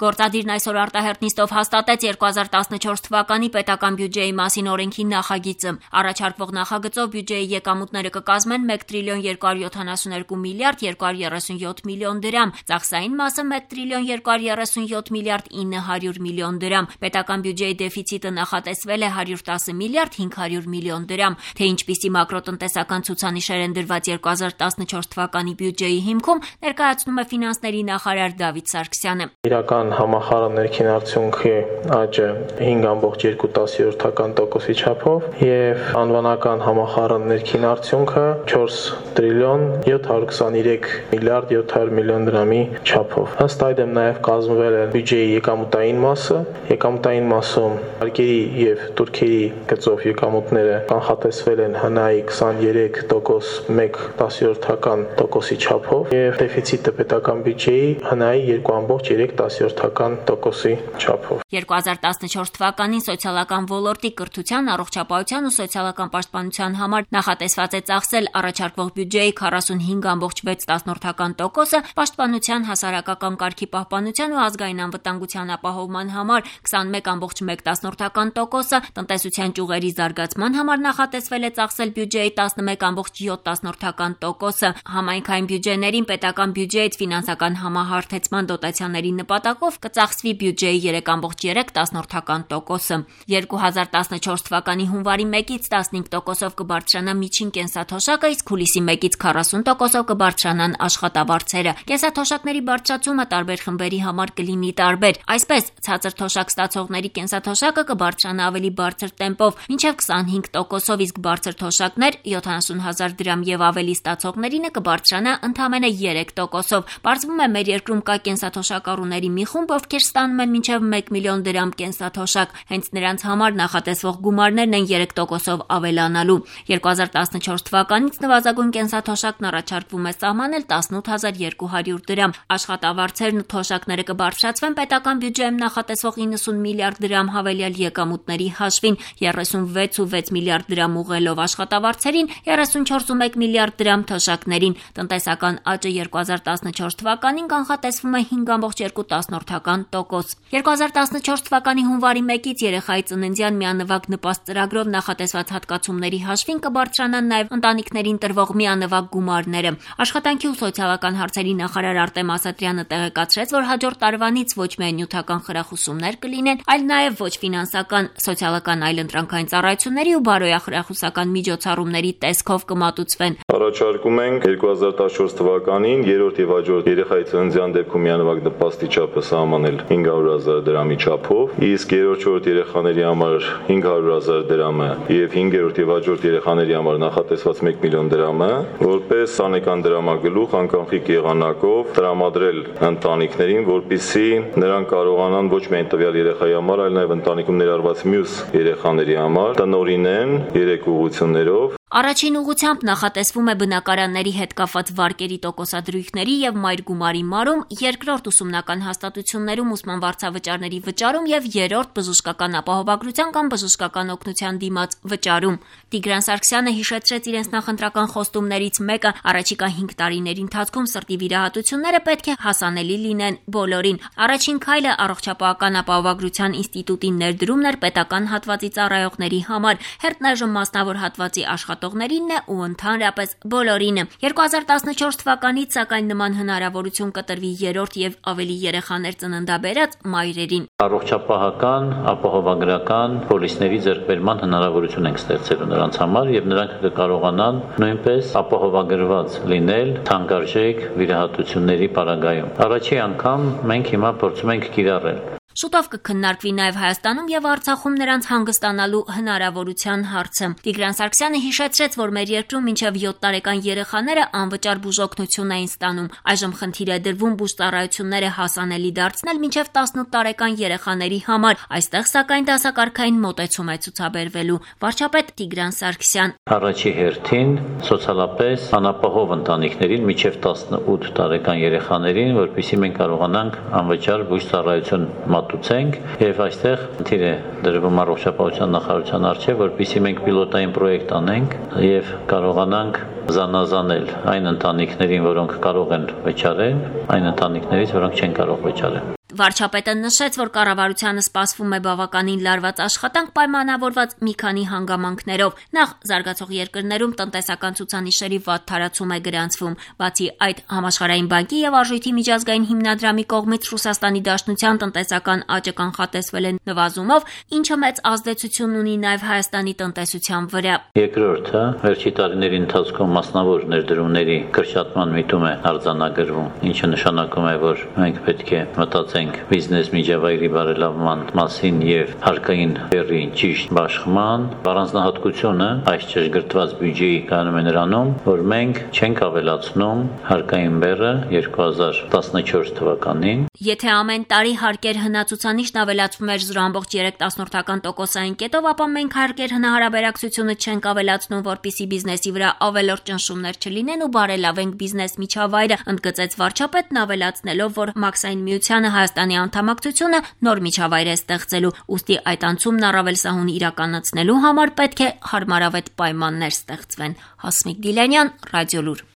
Գործադիրն այսօր արտահերտ նիստով հաստատեց 2014 թվականի պետական բյուջեի մասին օրենքի նախագիծը։ Առաջարկվող նախագծով բյուջեի եկամուտները կկազմեն 1 տրիլիոն 272 միլիարդ 237 միլիոն դրամ, ծախսային մասը 1 տրիլիոն 237 միլիարդ 900 միլիոն դրամ։ Պետական բյուջեի դեֆիցիտը նախատեսվել է 110 միլիարդ 500 միլիոն դրամ։ Թե ինչպիսի մակրոտնտեսական ցուցանիշեր են դրված 2014 թվականի բյուջեի հիմքում, ներկայացնում է ֆինանսների նախարար Դավիթ Սարգսյանը։ Իրական համախառն ներքին արդյունքի աճը 5.2% չափով եւ անվանական համախառն ներքին արդյունքը 4 տրիլիոն 723 միլիարդ 700 միլիոն դրամի չափով։ Ըստ այդմ նաեւ կազմվել է բյուջեի եկամուտային մասը։ Եկամուտային մասում արկերի եւ турքերի գծով եկամուտները կանխատեսվել են ՀՆԱ-ի 23% 1/10% չափով եւ դեֆիցիտը պետական բյուջեի ՀՆԱ-ի 2.3% չափով։ 2014 թվականին սոցիալական ոլորտի կրթության, առողջապահության ու սոցիալական պաշտպանության համար նախատեսված է ծախսել առաջարկվող բյուջեի 45.6%, պաշտպանության, հասարակական կարգի պահպանության ու ազգային անվտանգության ապահովման համար 21.1%, տնտեսության ճյուղերի զարգացման համար նախատեսվել է ծախսել բյուջեի 11.7%, համայնքային բյուջեներին պետական բյուջեից ֆինանսական համահարթեցման դոտացիաների նպատակով կծախսվի բյուջեի 3.3%։ 2014 թվականի հունվարի 1-ից 15%-ով կբարձրանա միջին կենսաթոշակը, իսկ հուլիսի 1-ից 40%-ով կբարձրանան աշխատավարձերը։ Կենսաթոշակների բարձրացումը տարբեր խմբերի համար կլինի տարբեր։ Այսպես, ցածր թոշակ ստացողների կենսաթոշակը կբարձրանա ավելի բարձր տեմպով, մինչև 25%-ով, իսկ բարձր թոշակներ 70,000 դրամ եւ ավելի ստացողներինը կբարձրանա ընդամենը 3%-ով։ Պարզվում է, մեր երկրում կա կենսաթոշակառուների մի խումբ, ովքեր ստանում են մինչև 1 միլիոն դրամ կենսաթոշակ, հենց նրանց համար նախատեսվող գումարներն են 3%-ով ավելանալու։ 2014 թվականից նվազագույն կենսաթոշակն առաջարկվում է սահմանել 18.200 դրամ։ Աշխատավարձերն ու թոշակները կբարձրացվեն պետական բյուջեում նախատեսվող 90 միլիարդ դրամ հավելյալ եկամուտների հաշվին, 36.6 միլիարդ դրամ ուղղելով աշխատավարձերին, 34.1 միլիարդ դրամ թոշակներին։ Տնտեսական աճը 2014 թվականին կանխատեսվում է 5.2%։ 2014 թվականի հունվարի 1-ից երեխայի ծննդյան միանվագ նպաստ ծրագրով նախատեսված հատկացումների հաշվին կբարձրանան նաև ընտանիքներին տրվող միանվագ գումարները։ Աշխատանքի ու սոցիալական հարցերի նախարար Արտեմ Ասատրյանը տեղեկացրեց, որ հաջորդ տարվանից ոչ միայն նյութական խրախուսումներ կլինեն, այլ նաև ոչ ֆինանսական, սոցիալական այլընտրանքային ծառայությունների ու բարոյախրախուսական միջոցառումների տեսքով կմատուցվեն։ Առաջարկում ենք 2014 թվականին երրորդ եւ հաջորդ երեխայի ծննդյան դեպքում միանվագ նպաստի չափը սահմանել 500,000 դրամի չափով, իսկ երրորդ չորրորդ երեխաների համար 500,000 դրամը եւ 5-րդ եւ հաջորդ երեխաների համար նախատեսված 1 միլիոն դրամը որպես անեկան դրամագլուխ անկանխիկ եղանակով տրամադրել ընտանիքներին, որպեսզի նրանք կարողանան ոչ միայն տվյալ երեխայի համար, այլ նաեւ ընտանիքում ներառված մյուս երեխաների համար տնօրինեն 3 ուղղություններով։ Առաջին ուղղությամբ նախատեսվում է բնակարանների հետ կապված վարկերի տոկոսադրույքների եւ մայր գումարի մարում, երկրորդ ուսումնական հաստատություններում ուսման վարձավճարների վճարում եւ երրորդ բժշկական ապահովագրության կամ բժշկական օգնության դիմաց վճարում։ Տիգրան Սարգսյանը հիշեցրեց իրենց նախընտրական խոստումներից մեկը՝ առաջիկա 5 տարիների ընթացքում սրտի վիրահատությունները պետք է հասանելի լինեն բոլորին։ Առաջին քայլը առողջապահական ապահովագրության ինստիտուտի ներդրումն էր պետական հատվածի ծառայողների համար, հերթնաժամ մասնավոր հատվածի աշխատողներինն է ու ընդհանրապես բոլորինը։ 2014 թվականից սակայն նման հնարավորություն կտրվի երրորդ եւ ավելի երեխաներ ծննդաբերած մայրերին։ Առողջապահական, ապահովագրական պոլիսների ձեռքբերման հնարավորություն ենք ստեղծելու նրանց համար եւ նրանք կկարողանան նույնպես ապահովագրված լինել թանկարժեք վիրահատությունների պարագայում։ Առաջի անգամ մենք հիմա փորձում ենք կիրառել Շուտով կքննարկվի նաև Հայաստանում եւ Արցախում նրանց հանգստանալու հնարավորության հարցը։ Տիգրան Սարգսյանը հիշեցրեց, որ մեր երկրում մինչև 7 տարեկան երեխաները անվճար բուժօգնություն էին ստանում։ Այժմ խնդիր է դրվում բուժծառայությունները հասանելի դարձնել մինչև 18 տարեկան երեխաների համար։ Այստեղ սակայն դասակարգային մոտեցում է ցուցաբերվելու։ Վարչապետ Տիգրան Սարգսյան. Առաջի հերթին սոցիալապես անապահով ընտանիքներին մինչև 18 տարեկան երեխաներին, որպեսզի մենք կարողանանք անվճար բուժծառայություն մատուցենք եւ այստեղ խնդիր է դրվում առողջապահության նախարարության առջեւ, որպեսզի մենք պիլոտային պրոյեկտ անենք եւ կարողանանք զանազանել այն ընտանիքներին, որոնք կարող են վճարել, այն ընտանիքներից, որոնք չեն կարող վճարել։ Վարչապետը նշեց, որ կառավարությանը սպասվում է բավականին լարված աշխատանք պայմանավորված մի քանի հանգամանքներով։ Նախ զարգացող երկրներում տնտեսական ցուցանիշերի վատ թարացում է գրանցվում։ Բացի այդ, Համաշխարհային բանկի եւ Արժույթի միջազգային հիմնադրամի կողմից Ռուսաստանի Դաշնության տնտեսական աճը կանխատեսվել է նվազումով, ինչը մեծ ազդեցություն ունի նաեւ Հայաստանի տնտեսության վրա։ Երկրորդը, վերջի տարիների ընթացքում մասնավոր ներդրումների կրճատման միտում է արձանագրվում, ինչը նշանակում է, որ մենք պետք է մտածենք բիզնես միջավայրի բարելավման մասին եւ հարկային բեռի ճիշտ բաշխման։ Առանձնահատկությունը այս ճշգրտված բյուջեի կանում է նրանում, որ մենք չենք ավելացնում հարկային բեռը 2014 թվականին։ Եթե ամեն տարի հարկեր հնացուցանիշն ավելացվում էր 0.3%-ային կետով, ապա մենք հարկեր հնահարաբերակցությունը չենք ավելացնում, որպեսզի բիզնեսի վրա ավելորդ ճնշումներ չլինեն ու բարելավենք բիզնես միջավայրը, ընդգծեց վարչապետն, ավելացնելով, որ Մաքսային միությանը Հայաստանի անդամակցությունը նոր միջավայր է ստեղծելու, ուստի այդ անցումն առավել սահուն իրականացնելու համար պետք է հարմարավետ պայմաններ ստեղծվեն։ Հասմիկ Դիլանյան, Ռադիոլուր։